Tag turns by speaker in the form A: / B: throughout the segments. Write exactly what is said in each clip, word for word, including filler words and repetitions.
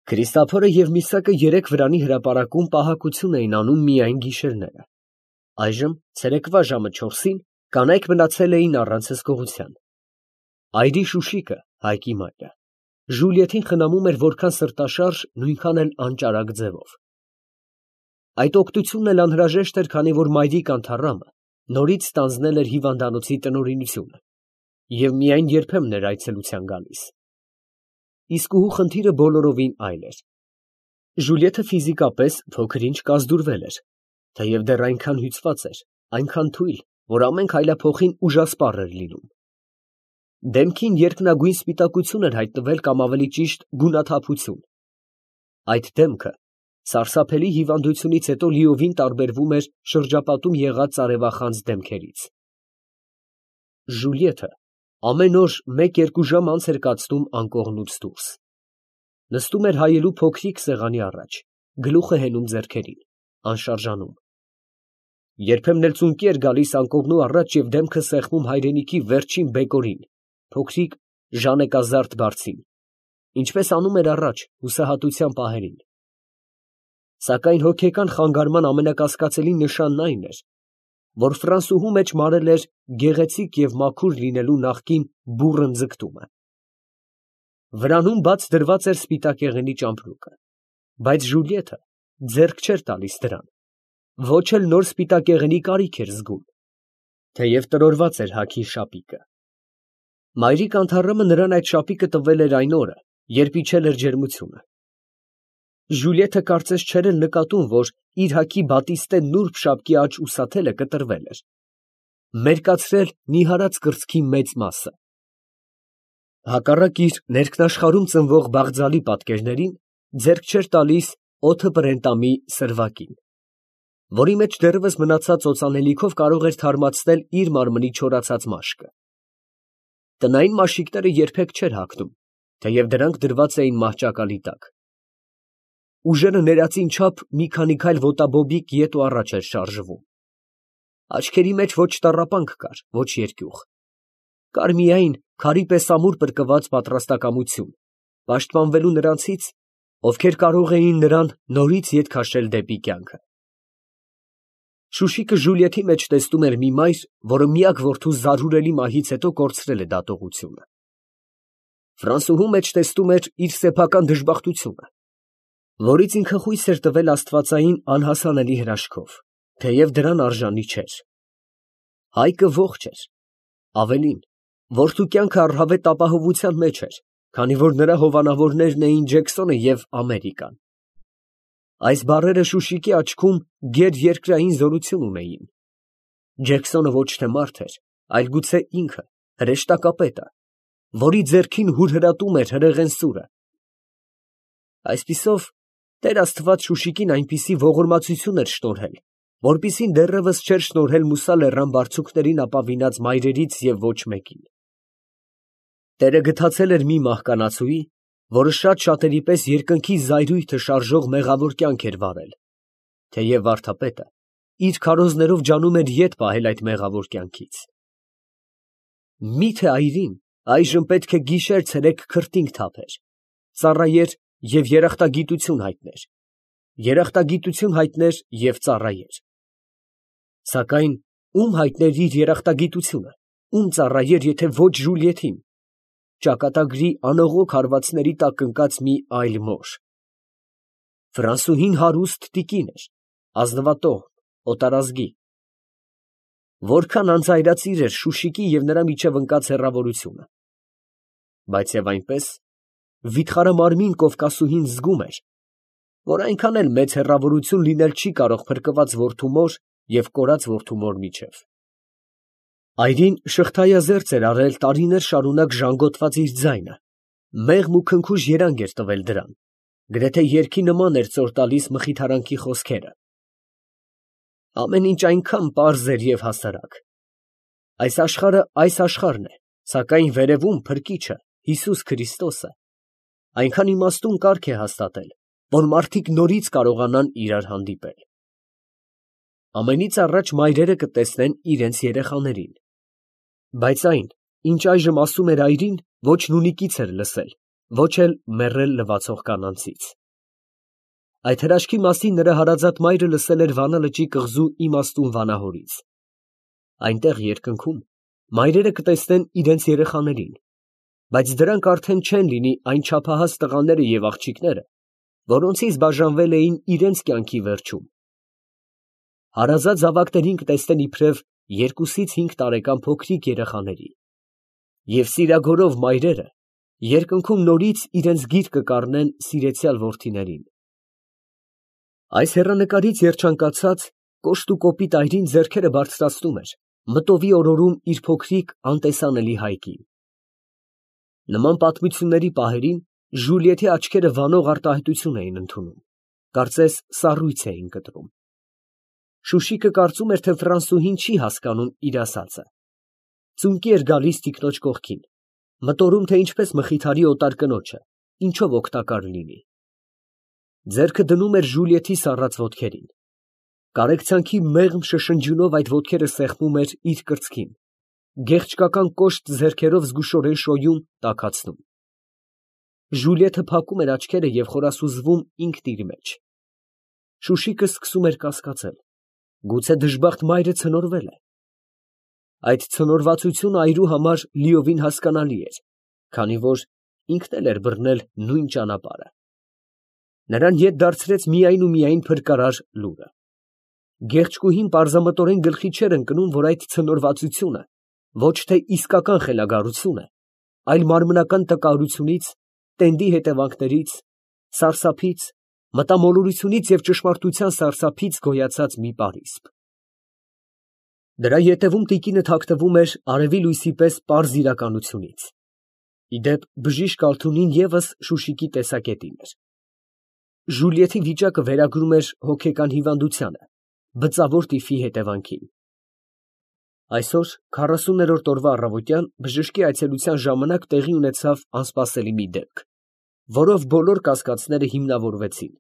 A: Քրիստափորը և Միսակը երեկ վրանի հրապարակում պահակություն էին անում միայն գիշերները. այժմ ցերեկվա ժամը չորսին կանայք մնացել էին առանց հսկողության. այրի Շուշիկը (Հայկի մայրը) Ժուլիեթին խնամում էր որքան սրտաշարժ, նույնքան էլ անճարակ ձևով. այդ օգնությունն էլ անհրաժեշտ էր, քանի որ մայրիկ Անթառամը նորից ստանձնել էր հիվանդանոցի տնօրինությունը և միայն երբեմն էր այցելության գալիս. իսկուհու խնդիրը բոլորովին այլ էր. Ժուլիեթը ֆիզիկապես փոքր-ինչ կազդուրվել էր, թեև դեռ այնքան հյուծված էր, այնքան թույլ, որ ամեն քայլափոխին ուժասպառ էր լինում. դեմքին երկնագույն սպիտակություն էր հայտնվել կամ ավելի ճիշտ գունաթափություն. այդ դեմքը սարսափելի հիվանդությունից հետո լիովին տարբերվում էր շրջապատում եղած ծարևախանձ դեմքերից. Ժուլիեթը ամեն օր մեկ֊երկու ժամ անց էր կացնում անկողնուց դուրս. նստում էր հայելու փոքրիկ սեղանի առաջ, գլուխը հենում ձեռքերին, անշարժանում. երբեմն էլ ծունկի էր գալիս անկողնու առաջ և դեմքը սեղմում հայրենիքի վերջին բեկորին, փոքրիկ ժանեկազարդ բարձին, ինչպես անում էր առաջ հուսահատության պահերին. սակայն հոգեկան խանգարման ամենակասկածելի նշանն այն էր, որ Ֆրանսուհու մեջ մարել էր գեղեցիկ և մաքուր լինելու նախկին բուռն ձգտումը. վրանում բաց դրված էր սպիտակեղենի ճամպրուկը, բայց Ժուլիեթը ձեռք չէր տալիս դրան, ոչ էլ նոր սպիտակեղենի կարիք էր զգում, թեև տրորված էր հագի շապիկը. մայրիկ Անթառամը նրան այդ շապիկը տվել էր այն օրը, երբ իջել էր ջերմությունը. Ժուլիեթը կարծես չէր էլ նկատում, որ իր հագի բատիստե նուրբ շապկի աջ ուսաթելը կտրվել էր, մերկացրել նիհարած կրծքի մեծ մասը. հակառակ իր ներքնաշխարհում ծնվող բաղձալի պատկերներին, ձեռք չէր տալիս օդը պրենտամի սրվակին, որի մեջ դեռևս մնացած օծանելիքով կարող էր թարմացնել իր մարմնի չորացած մաշկը. տնային մաշիկները երբեք չէր հագնում, թեև դրանք դրված էին մահճակալի տակ. ուժերը ներածին չափ մի քանի քայլ ոտաբոբիկ ետ ու առաջ էր շարժվում. աչքերի մեջ ոչ տառապանք կար, ոչ երկյուղ. կար միայն քարի պես ամուր պրկված պատրաստակամություն, պաշտպանվելու նրանցից, ովքեր կարող էին նրան նորից ետ քաշել դեպի կյանքը. Շուշիկը Ժուլիեթի մեջ տեսնում էր մի մայր, որը միակ որդու զարհուրելի մահից հետո կորցրել է դատողությունը. Ֆրանսուհու մեջ տեսնում էր իր սեփական դժբախտությունը, որից ինքը խույս էր տվել աստվածային անհասանելի հրաշքով, թեև դրան արժանի չէր. Հայկը ողջ էր, ավելին, որդու կյանքը առհավետ ապահովության մեջ էր, քանի որ նրա հովանավորներն էին Ջեքսոնը և Ամերիկան. այս բառերը Շուշիկի աչքում գերերկրային զորություն ունեին. Ջեքսոնը ոչ թե մարդ էր, այլ գուցե ինքը, հրեշտակապետը, որի ձեռքին հուրհրատում էր հրեղեն սուրը. այսպիսով, Տեր Աստված Շուշիկին այնպիսի ողորմածություն էր շնորհել, որպիսին դեռևս չէր շնորհել Մուսա լեռան բարձունքներին ապավինած մայրերից և ոչ մեկին. Տերը գթացել էր մի մահկանացուի, որը շատ շատերի պես երկնքի զայրույթը շարժող մեղավոր կյանք էր վարել, թեև վարդապետը իր քարոզներով ջանում էր ետ պահել այդ մեղավոր կյանքից. Մի՞թե այրին այժմ պետք է գիշեր֊ցերեկ քրտինք թափեր, ծառայեր և երախտագիտություն հայտներ, երախտագիտություն հայտներ և ծառայեր. սակայն ում հայտներ իր երախտագիտությունը, ում ծառայեր, եթե ոչ Ժուլիեթին, ճակատագրի անողոք հարվածների տակ ընկած մի այլ մոր. Ֆրանսուհին հարուստ տիկին էր, ազնվատոհմ, օտարազգի. որքան անձայրածիր էր Շուշիկի և նրա միջև ընկած հեռավորությունը, բայց և այնպես, վիթխարամարմին Կովկասուհին զգում էր, որ այնքան էլ մեծ հեռավորություն լինել չի կարող փրկված որդու մոր և կորած որդու մոր միջև. այրին շղթայազերծ էր արել տարիներ շարունակ ժանգոտված իր ձայնը, մեղմ ու քնքուշ երանգ էր տվել դրան, գրեթե երգի նման էր ծոր տալիս մխիթարանքի խոսքերը. ամեն ինչ այնքան պարզ էր և հասարակ. այս աշխարհը այս աշխարհն է, սակայն վերևում Փրկիչը, Հիսուս Քրիստոսը, այնքան իմաստուն կարգ է հաստատել, որ մարդիկ նորից կարողանան իրար հանդիպել. ամենից առաջ մայրերը կտեսնեն իրենց երեխաներին, բայց այն, ինչ այժմ ասում էր այրին, ոչ նունիկից էր լսել, ոչ էլ մեռել լվացող կանանցից։ Այդ հրաշքի մասին նրա հարազատ մայրը լսել էր Վանա լճի կղզու իմաստուն վանահորից։ Այնտեղ երկնքում մայրերը կտեսնեն իրենց երեխաներին, բայց դրանք արդեն չեն լինի այն չափահաս տղաները և աղջիկները, որոնցից բաժանվել էին իրենց կյանքի վերջում։ Հարազատ զավակներին կտեսնեն իբրև երկուսից հինգ տարեկան փոքրիկ երեխաների, և սիրագորով մայրերը երկնքում նորից իրենց գիրկը կառնեն սիրեցյալ որդիներին։ Այս հեռանկարից երջանկացած, կոշտ ու կոպիտ այրին ձեռքերը բարձրացնում էր, մտովի օրորում իր փոքրիկ անտեսանելի հայկին։ Նման պատմությունների պահերին Ժուլիեթի աչքերը վանող արտահայտություն էին ընդունում, կարծես սառույց էին կտրում։ Շուշիկը կարծում էր, թե ֆրանսուհին չի հասկանում իր ասածը։ Ծունկի էր գալիս տիկնոջ կողքին, մտորում, թե ինչպես մխիթարի օտար կնոջը, ինչով օգտակար լինի։ Ձեռքը դնում էր Ժուլիեթի սառած ոտքերին։ Կարեկցանքի մեղմ շշնջյունով այդ ոտքերը սեղմում էր իր կրծքին, գեղչկական կոշտ ձեռքերով զգուշորեն շոյում, տաքացնում։ Ժուլիեթը փակում էր աչքերը և խորասուզվում ինքն իր մեջ։ Շուշիկը սկսում էր կասկածել. գուցե դժբախտ մայրը ցնորվել է։ Այդ ցնորվածությունը այրու համար լիովին հասկանալի էր, քանի որ ինքն էլ էր բռնել նույն ճանապարհը։ Նրան ետ դարձրեց միայն ու միայն փրկարար լուրը։ Գեղեցկուհին պարզամտորեն գլխի չէր ընկնում, որ այդ ցնորվածությունը ոչ թե իսկական խելագարություն է, այլ մարմնական տկարությունից, տենդի հետևանքներից, սարսափից, մտամոլորությունից և ճշմարտության սարսափից գոյացած մի պարիսպ։ Դրա ետևում տիկինը թաքնվում էր արևի լույսի պես պարզ իրականությունից։ Ի դեպ, բժիշկ Ալթունին ևս Շուշիկի տեսակետին էր։ Ժուլիեթի վիճակը վերագրում էր հոգեկան հիվանդությանը, բծավոր տիֆի հետևանքին։ Այսօր քառասուներորդ օրվա առավոտյան բժշկի այցելության ժամանակ տեղի ունեցավ անսպասելի մի դեպք, որով բոլոր կասկածները հիմնավորվեցին։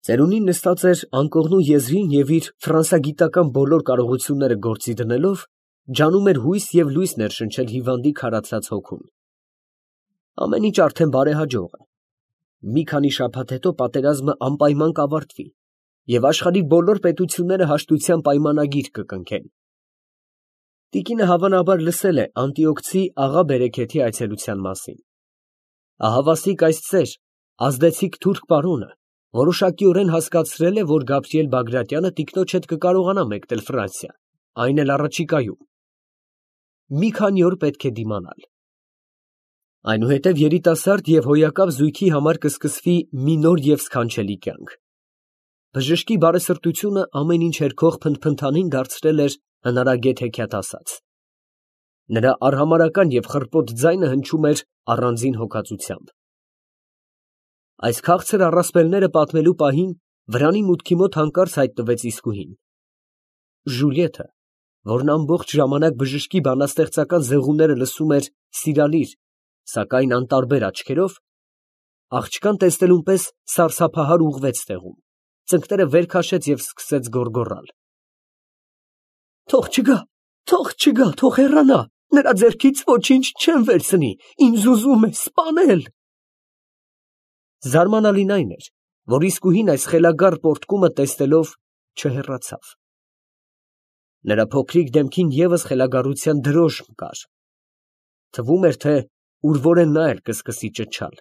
A: Ծերունին նստած էր անկողնու եզրին և իր ֆրանսագիտական բոլոր կարողությունները գործի դնելով, ջանում էր հույս և լույս ներշնչել հիվանդի քարացած հոգուն։ Ամեն ինչ արդեն բարեհաջող է։ Մի քանի շաբաթ հետո պատերազմը անպայման կավարտվի, և աշխարհի բոլոր պետությունները հաշտության պայմանագիր կկնքեն։ Տիկինը հավանաբար լսել է Անտիոքցի աղա Բերեքեթի այցելության մասին։ Ահավասիկ այս ծեր, ազդեցիկ թուրք պարոնը, որոշակիորեն հասկացրել է, որ Գաբրիել Բագրատյանը տիկնոջ հետ կկարողանա մեկնել Ֆրանսիա, այն էլ առաջիկայում։ Մի քանի օր պետք է դիմանալ։ Այնուհետև երիտասարդ և հոյակավ զույգի համար կսկսվի մի նոր և սքանչելի կյանք։ Բժշկի բարեսրտությունը ամեն ինչ հերքող փնթփնթանին դարձրել էր հնարագետ հեքիաթ ասած։ Նրա արհամարհական և խռպոտ ձայնը հնչում էր առանձին հոգածությամբ։ Այս քաղցր առասպելները պատմելու պահին վրանի մուտքի մոտ հանկարծ հայտնվեց իսկուհին։ Ժուլիեթը, որն ամբողջ ժամանակ բժշկի բանաստեղծական զեղումները լսում էր սիրալիր, սակայն անտարբեր աչքերով, աղջկան տեսնելուն պես սարսափահար ուղղվեց տեղում, ծնկները վեր քաշեց և սկսեց գոռգոռալ. «Թող չգա, թող չգա, թող հեռանա, նրա ձեռքից ոչինչ չեմ վերցնի, ինձ ուզում է սպանել»։ Զարմանալին այն էր, որ իսկուհին այս խելագար պոռթկումը տեսնելով չհեռացավ։ Նրա փոքրիկ դեմքին ևս խելագարության դրոշմ կար։ Թվում էր, թե ուրվորեն նա էլ կսկսի ճչալ։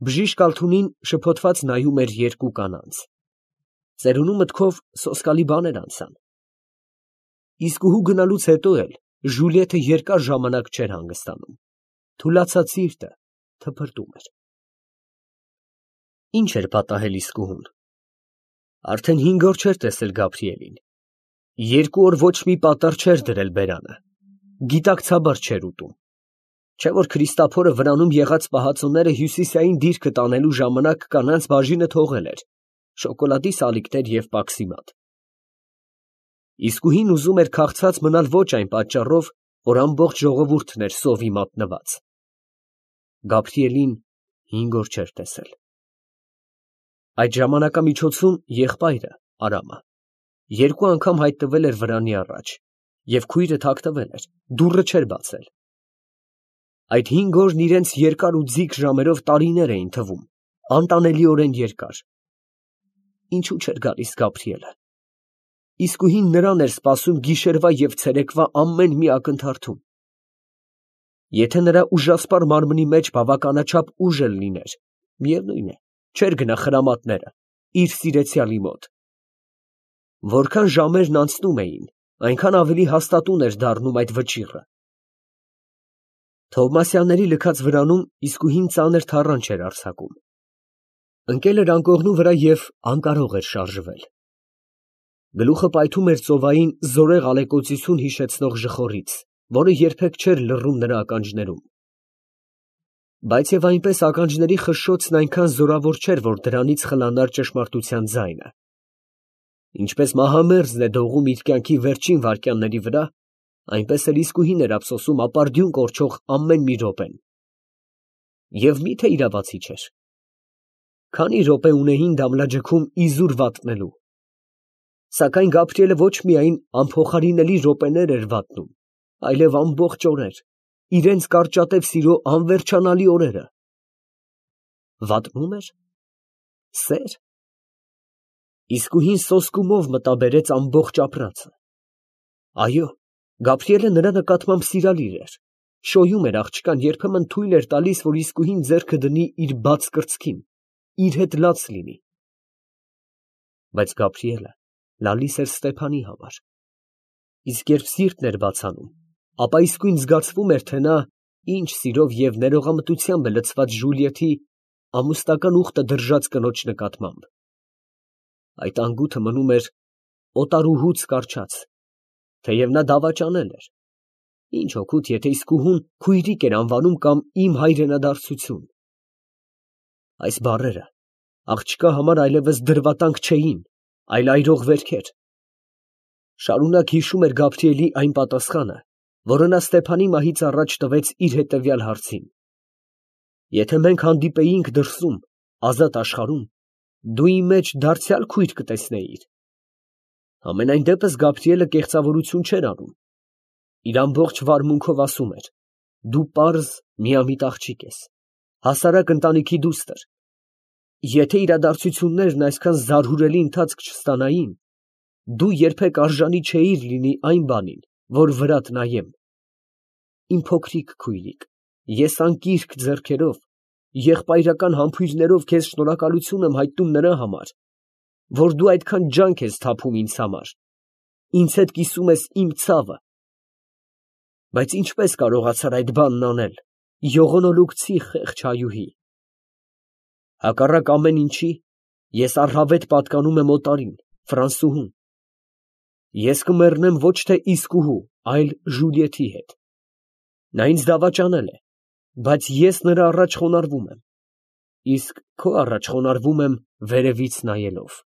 A: Բժիշկ Ալթունին շփոթված նայում էր երկու կանանց։ Ծերունու մտքով սոսկալի բաներ անցան։ Իսկուհու գնալուց հետո էլ Ժուլիեթը երկար ժամանակ չէր հանգստանում։ Թուլացած սիրտը թփրտում էր։ Ինչ էր պատահել իսկուհուն։ Արդեն հինգ օր չէր տեսել Գաբրիելին։ Երկու օր ոչ մի պատառ չէր դրել բերանը։ Գիտակցաբար չէր ուտում։ Չէ որ Քրիստափորը վրանում եղած պահածոները հյուսիսային դիրքը տանելու ժամանակ կանանց բաժինը թողել էր, շոկոլադի սալիկներ և պաքսիմատ։ Իսկուհին ուզում էր քաղցած մնալ ոչ այն պատճառով, որ ամբողջ ժողովուրդն էր սովի մատնված։ Գաբրիելին հինգ օր չէր տեսել։ Այդ ժամանակամիջոցում եղբայրը, Արամը, երկու անգամ հայտնվել էր վրանի առաջ, և քույրը թաքնվել էր, դուռը չէր բացել։ Այդ հինգ օրն իրենց երկար ու ձիգ ժամերով տարիներ էին թվում, անտանելիորեն երկար։ Ինչու չէր գալիս Գաբրիելը։ Իսկույն նրան էր սպասում գիշերվա և ցերեկվա ամեն մի ակնթարթում։ Եթե նրա ուժասպառ մարմնի մեջ բավականաչափ ուժ էլ լիներ, միևնույն է, չէր գնա խրամատները, իր սիրեցյալի մոտ։ Որքան ժամերն անցնում էին, այնքան ավելի հաստատուն էր դառնում այդ վճիռը։ Թովմասյանների լքած վրանում իսկույն ծանր թառանչ էր արձակում։ Ընկել էր անկողնու վրա և անկարող էր շարժվել։ Գլուխը պայթում էր ծովային զորեղ ալեկոծություն հիշեցնող ժխորից, որը երբեք չէր լռում նրա ականջներում։ Բայց և այնպես ականջների խշշոցն այնքան զորավոր չէր, որ դրանից խլանար ճշմարտության ձայնը։ Ինչպես մահամերձն է դողում իր կյանքի վերջին վայրկյանների վրա, այնպես էլ իսկույն էր ափսոսում ապարդյուն կորչող ամեն մի րոպեն։ Եվ մի՞թե իրավացի չէր։ Քանի՞ րոպե ունեին դամլաջքում իզուր վատնելու։ Սակայն Գաբրիելը ոչ միայն անփոխարինելի րոպեներ էր վատնում, այլև ամբողջ օրեր, իրենց կարճատև սիրո անվերջանալի օրերը։ Վատնում էր։ Սե՞ր։ Իսկույն սոսկումով մտաբերեց ամբողջ ապրածը։ Այո, Գաբրիելը նրա նկատմամբ սիրալիր էր, շոյում էր աղջկան, երբեմն թույլ էր տալիս, որ իսկույն ձեռքը դնի իր բաց կրծքին, իր հետ լաց լինի։ Բայց Գաբրիելը լալիս էր Ստեփանի համար։ Իսկ երբ սիրտն էր բացանում, ապա իսկույն զգացվում էր, թե նա ինչ սիրով և ներողամտությամբ է լցված Ժուլիեթի ամուսնական ուխտը դրժած կնոջ նկատմամբ։ Այդ անգութը մնում էր օտարուհուց կառչած, թեև նա դավաճանել էր։ Ինչ օգուտ, եթե իսկուհուն քույրիկ էր անվանում կամ իմ հայրենադարձություն։ Այս բառերը աղջկա համար այլևս դրվատանք չէին, այլ այրող վերքեր։ Շարունակ հիշում էր Գաբրիելի այն պատասխանը, որը նա Ստեփանի մահից առաջ տվեց իր հետևյալ հարցին. «Եթե մենք հանդիպեինք դրսում, ազատ աշխարհում, դու իմ մեջ դարձյալ քույր կտեսնեիր»։ Համենայն դեպս Գաբրիելը կեղծավորություն չէր անում։ Իր ամբողջ վարմունքով ասում էր. «Դու պարզ միամիտ աղջիկ ես, հասարակ ընտանիքի դուստր։ Եթե իրադարձություններն այսքան զարհուրելի ընթացք չստանային, դու երբեք արժանի չէիր լինի այն բանին, որ վրադ նայեմ։ Իմ փոքրիկ քույրիկ, ես անկիրք ձեռքերով, եղբայրական համբույրներով քեզ շնորհակալություն եմ հայտնում նրա համար, որ դու այդքան ջանք ես թափում ինձ համար, ինձ հետ կիսում ես իմ ցավը։ Բայց ինչպես կարողացար այդ բանն անել, յողոնոլուկցի խեղճ հայուհի։ Հակառակ ամեն ինչի, ես առհավետ պատկանում եմ օտարին, Ֆրանսուհուն։ Ես կմեռնեմ ոչ թե իսկուհու, այլ Ժուլիեթի հետ։ Նա ինձ դավաճանել է, բայց ես նրա առաջ խոնարհվում եմ, իսկ քո առաջ խոնարհվում եմ վերևից նայելով։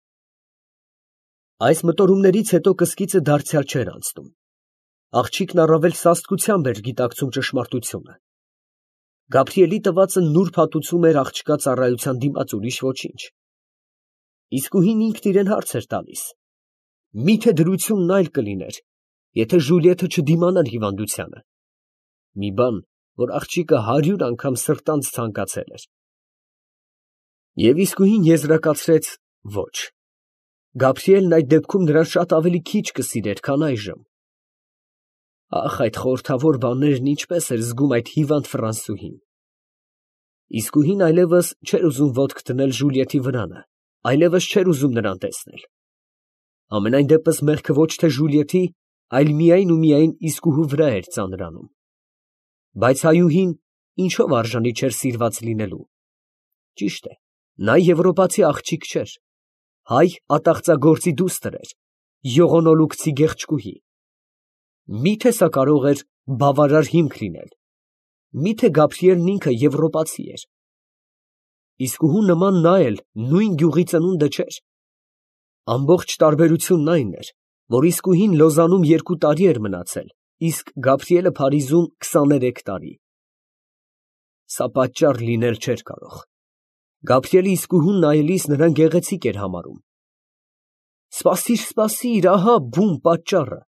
A: Այս մտորումներից հետո կսկիծը դարձյալ չէր անցնում։ Աղջիկն առավել սաստկությամբ էր գիտակցում ճշմարտությունը։ Գաբրիելի տվածը նուրբ հատուցում էր աղջկա ծառայության դիմաց, ուրիշ ոչինչ։ Իսկույն ինքն իրան հարց էր տալիս. միթե դրությունն այլ կլիներ, եթե Ժուլիեթը չդիմանար հիվանդությանը, մի բան, որ աղջիկը հարյուր անգամ սրտանց ցանկացել էր։ Եվ իսկույն եզրակացրեց. ոչ, Գաբրիելն այդ դեպքում նրան շատ ավելի քիչ կսիրեր, քան այժմ։ Ախ, այդ խորհրդավոր բաներն ինչպես էր զգում այդ հիվանդ ֆրանսուհին։ Իսկույն այլևս չէր ուզում ոտք դնել Ժուլիեթի վրանը, այլևս չէր ուզում նրան տեսնել։ Համենայն դեպս մեղքը ոչ թե Ժուլիեթի, այլ միայն ու միայն իսկուհու վրա էր ծանրանում։ Բայց հայուհին ինչով արժանի չէր սիրված լինելու։ Ճիշտ է, նա եվրոպացի աղջիկ չէր, հայ ատաղծագործի դուստր էր, յողոնոլուկցի գեղեցկուհի։ Մի՞թե սա կարող էր բավարար հիմք լինել։ Մի՞թե Գաբրիելն ինքը եվրոպացի էր։ Իսկուհու նման նա էլ նույն գյուղի ծնունդը չէր։ Ամբողջ տարբերությունն այն էր, որ իսկուհին Լոզանում երկու տարի էր մնացել, իսկ Գաբրիելը Փարիզում քսաներեք տարի։ Սա պատճառ լինել չէր կարող։ Գաբրիելը իսկուհուն նայելիս նրան գեղեցիկ էր համարում։ Սպասիր, սպասիր, ահա բուն պատճառը։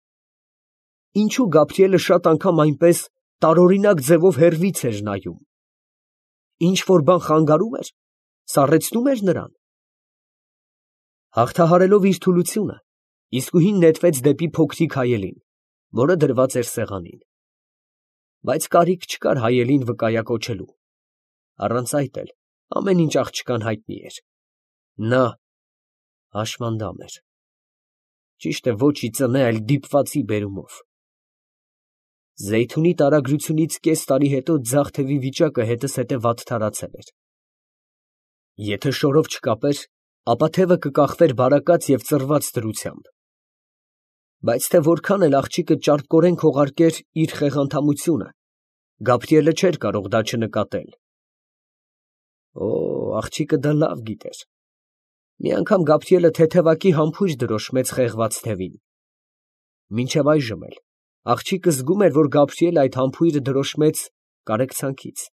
A: Ինչու Գաբրիելը շատ անգամ այնպես տարօրինակ ձևով հեռվից էր նայում։ Ինչ որ բան խանգարում էր, սառեցնում էր նրան։ Հաղթահարելով իր թուլությունը, իսկույն նետվեց դեպի փոքրիկ հայելին, որը դրված էր սեղանին։ Բայց կարիք չկար հայելին վկայակոչելու, առանց այդ էլ ամեն ինչ աղջկան հայտնի էր։ Նա հաշմանդամ էր, ճիշտ է ոչ ի ծնե, այլ դիպվածի բերումով։ Զեյթունի տարագրությունից կես տարի հետո ձախ թևի վիճակը հետզհետե վատթարացել էր։ Եթե շորով չկապեր, ապա թևը կկախվեր բարակած և ծռված դրությամբ։ Բայց թե որքան էլ աղջիկը ճարպկորեն քողարկեր իր խեղանդամությունը, Գաբրիելը չէր կարող դա չնկատել։ Օ, աղջիկը դա լավ գիտեր։ Մի անգամ Գաբրիելը թեթևակի համբույր դրոշմեց խեղված թևին։ Մինչև այժմ էլ աղջիկը զգում էր, որ Գաբրիելը այդ համբույրը դրոշմեց կարեկցանքից,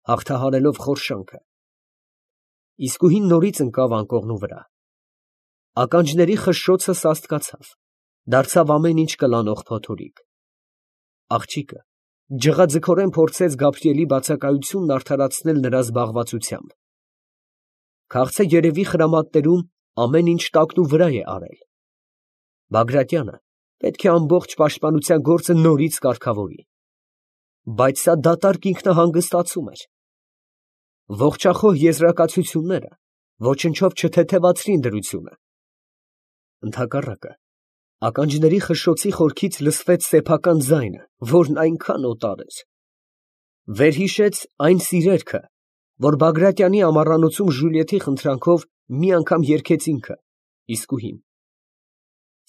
A: հաղթահարելով խորշանքը։ Իսկույն նորից ընկավ անկողնու վրա։ Ականջների խշշոցը սաստկացավ, դարձավ ամեն ինչ կլանող փոթորիկ։ Աղջիկը ջղաձգորեն փորձեց Գաբրիելի բացակայությունն արդարացնել նրա զբաղվածությամբ։ Քաղցը երևի խրամատներում ամեն ինչ տակնուվրա է արել։ Բագրատյանը պետք է ամբողջ պաշտպանության գործը նորից կարգավորի։ Բայց սա դատարկ ինքնահանգստացում էր։ Ողջախոհ եզրակացությունները ոչնչով չթեթևացրին դրությունը։ Ընդհակառակը, ականջների խշշոցի խորքից լսվեց սեփական ձայնը, որն այնքան օտար էր։ Վերհիշեց այն սիրերքը, որ Բագրատյանի ամառանոցում Ժուլիեթի խնդրանքով մի անգամ երգեց ինքը, իսկույն։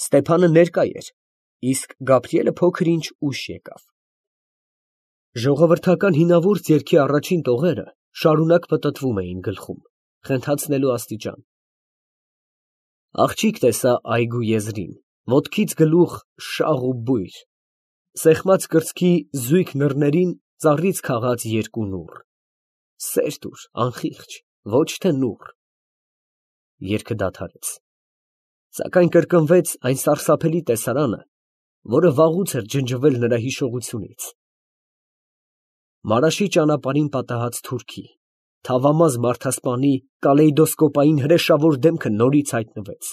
A: Ստեփանը ներկա էր, իսկ Գաբրիելը փոքր ինչ ուշ եկավ։ Ժողովրդական հինավուրց երգի առաջին տողերը շարունակ պտտվում էին գլխում, խենթացնելու աստիճան։ Աղջիկ տեսա այգու եզրին, ոտքից գլուխ շաղ ու բույր, սեղմած կրծքի զույգ նռներին ծառից քաղած երկու նուռ։ Սեր տուր, անխիղճ, ոչ թե նուռ։ Երգը դադարեց, սակայն կրկնվեց այն սարսափելի տեսարանը, որը վաղուց էր ջնջվել նրա հիշողությունից։ Մարաշի ճանապարհին պատահած թուրքի, թավամազ մարդասպանի կալեյդոսկոպային հրեշավոր դեմքը նորից հայտնվեց,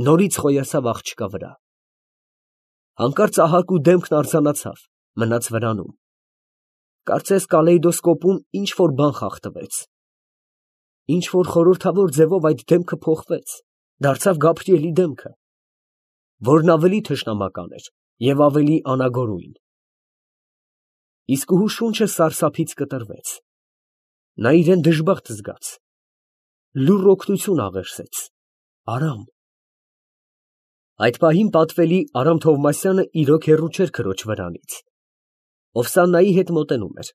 A: նորից խոյացավ աղջկա վրա։ Հանկարծ ահագու դեմքն արձանացավ, մնաց վրանում։ Կարծես կալեյդոսկոպում ինչ որ բան խախտվեց։ Ինչ որ խորհրդավոր ձևով այդ դեմքը փոխվեց, դարձավ Գաբրիելի դեմքը, որն ավելի թշնամական էր և ավելի անագորույն։ Իսկուհու շունչը սարսափից կտրվեց։ Նա իրան դժբախտ զգաց, լուռ օգնություն աղերսեց, արամ։ Այդ պահին պատվելի Արամ Թովմասյանը իրոք հեռու չէր քրոջ վրանից։ Օվսաննայի հետ մոտենում էր։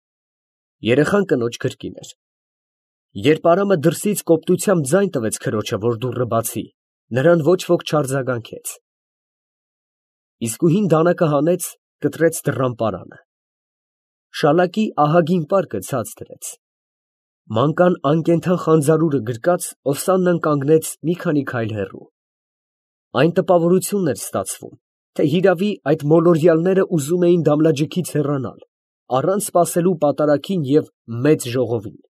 A: Երեխան կնոջ գրկին էր։ Երբ Արամը դրսից կոպտությամբ ձայն տվեց քրոջը, որ դուռը բացի, նրան ոչ ոք չարձագանքեց։ Իսկույն դանակը հանեց, կտրեց դռան պարանը։ Շալակի ահագին պարկը ցած դրեց։ Մանկան անկենդան խանձարուրը գրկած, Օվսաննան կանգնեց մի քանի քայլ հեռու։ Այն տպավորությունն էր ստացվում, թե հիրավի այդ մոլորյալները ուզում էին դամլաջիքից հեռանալ, առանց սպասելու պատարագին և մեծ ժողովին։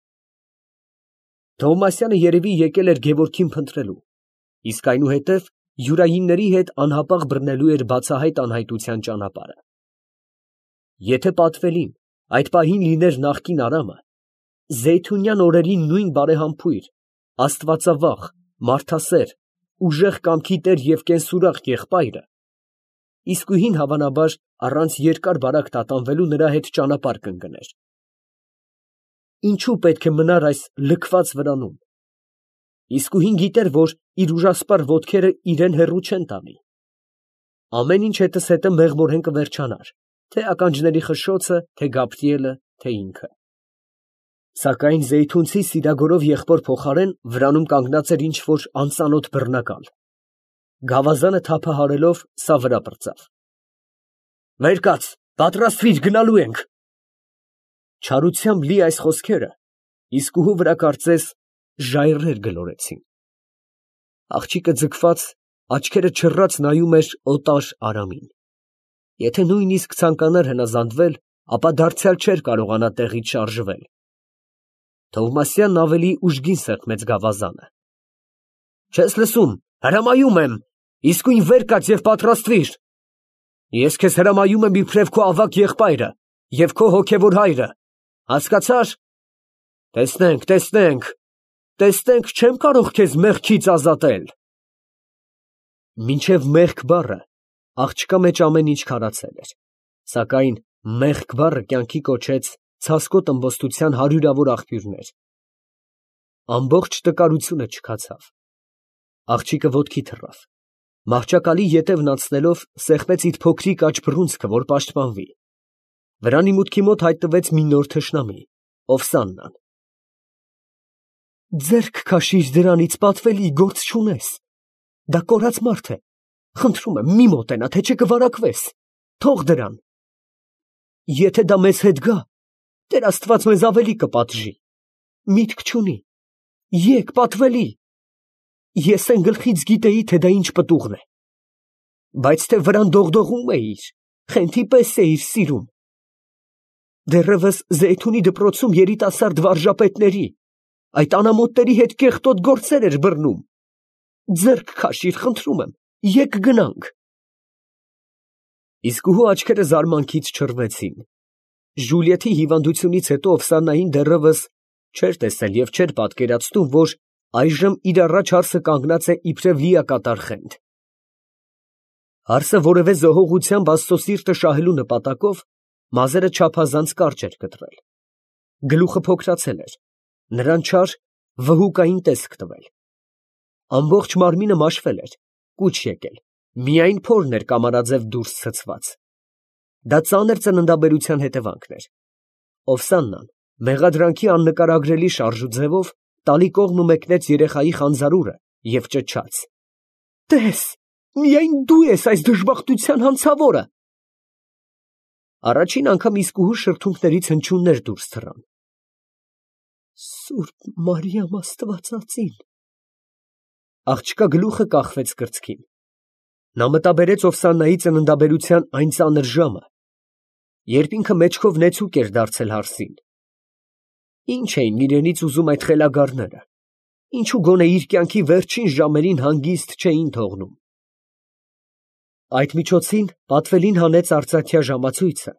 A: Թովմասյանը երևի եկել էր Գևորգին փնտրելու, իսկ այնուհետև յուրայինների հետ անհապաղ բռնելու էր բացահայտ անհայտության ճանապարհը։ Եթե պատվելին այդ պահին լիներ նախկին Արամը, Զեյթունյան օրերի նույն բարեհամբույր, աստվածավախ, մարդասեր, ուժեղ կամքի տեր և կենսուրախ եղբայրը, իսկույն հավանաբար առանց երկար բարակ տատանվելու նրա հետ ճանապարհ կընկներ։ Ինչո՞ւ պետք է մնար այս լքված վրանում։ Իսկույն գիտեր, որ իր ուժասպառ ոտքերը իրան հեռու չեն տանի։ Ամեն ինչ հետզհետե մեղմորեն կվերջանար, թե ականջների խշշոցը, թե Գաբրիելը, թե ինքը։ Սակայն զեյթունցի սիրագորով եղբոր փոխարեն վրանում կանգնած էր ինչ֊որ անծանոթ բռնակալ։ Գավազանը թափահարելով, սա վրա պրծավ։ Վեր կաց, պատրաստվիր, գնալու ենք։ Չարությամբ լի այս խոսքերը իսկուհու վրա կարծես ժայռեր գլորեցին։ Աղջիկը ձգված, աչքերը չռած նայում էր օտար Արամին։ Եթե նույնիսկ ցանկանար հնազանդվել, ապա դարձյալ չէր կարողանա տեղից շարժվել։ Թովմասյանն ավելի ուժգին սեղմեց գավազանը։ Չես լսում, հրամայում եմ, իսկույն վեր կաց և պատրաստվիր։ Ես քեզ հրամայում եմ իբրև քո ավագ եղբայրը և քո հոգևոր հայրը, հասկացա՞ր։ Տեսնենք, տեսնենք, տեսնենք, չեմ կարող քեզ մեղքից ազատել։ Մինչև մեղք բառը աղջկա մեջ ամեն ինչ քարացել էր, սակայն մեղք բառը կյանքի կոչեց ցասկոտ ըմբոստության հարյուրավոր աղբյուրներ։ Ամբողջ տկարությունը չքացավ։ Աղջիկը ոտքի թռավ, մահճակալի ետևն անցնելով սեղմեց իր փոքրիկ աջ բռունցքը, որ պաշտպանվի։ Վրանի մուտքի մոտ հայտնվեց մի նոր թշնամի, Օվսաննան։ Ձեռք քաշիր դրանից, պատվելի, գործ չունես։ Դա կորած մարդ է, խնդրում եմ, մի մոտենա, թե չէ կվարակվես, թող դրան։ Եթե դա մեզ հետ գա, Տեր Աստված մեզ ավելի կպատժի, միտք չունի, եկ, պատվելի։ Ես այն գլխից գիտեի, թե դա ինչ պտուղն է, բայց թե վրան դողդողում էիր, խենթի պես էիր սիրում։ Դեռևս Զեյթունի դպրոցում երիտասարդ վարժապետների, այդ անամոթների հետ կեղտոտ գործեր էր բռնում։ Ձեռք քաշիր, խնդրում եմ, եկ գնանք։ Իսկուհու աչքերը զարմանքից չռվեցին։ Ժուլիեթի հիվանդությունից հետո Օվսաննային դեռևս չէր տեսել և չէր պատկերացնում, որ այժմ իր առաջ հարսը կանգնած է իբրև լիակատար խենթ։ Հարսը որևէ զոհողությամբ Աստծո սիրտը շահելու նպատակով մազերը չափազանց կարճ էր կտրել։ Գլուխը փոքրացել էր, նրան չար վհուկային տեսք տվել։ Ամբողջ մարմինը մաշվել էր, կուչ եկել, միայն փորն էր կամարաձև դուրս ցցված։ Դա ծանր ծննդաբերության հետևանքն էր։ Օվսաննան մեղադրանքի աննկարագրելի շարժու ձևով տալի կողմը մեկնեց երեխայի խանձարուրը և ճչաց. Տես, միայն դու ես այս դժբախտության հանցավորը։ Առաջին անգամ իսկուհու շրթունքներից հնչյուններ դուրս թռան։ Սուրբ Մարիամ Աստվածածին։ Աղջկա գլուխը կախվեց կրծքին։ Նա մտաբերեց Օվսաննայի ծննդաբերության այն ծանր ժամը, երբ ինքը մեջքով նեցուկ էր դարձել հարսին։ Ինչ էին իրենից ուզում այդ խելագարները, ինչու գոնե իր կյանքի վերջին ժամերին հանգիստ չէին թողնում։ Այդ միջոցին պատվելին հանեց արծաթյա ժամացույցը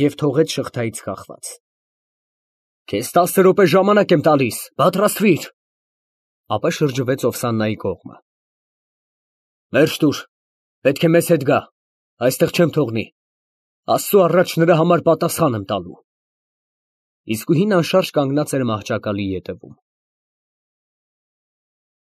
A: և թողեց շղթայից կախված։ Քեզ տասը րոպե ժամանակ եմ տալիս, պատրաստվիր։ Ապա շրջվեց Օվսաննայի կողմը։ Վերջ տուր, պետք է մեզ հետ գա, այստեղ չեմ թողնի, Աստծու առաջ նրա համար պատասխան եմ տալու։ Իսկուհին անշարժ կանգնած էր մահճակալի ետևում։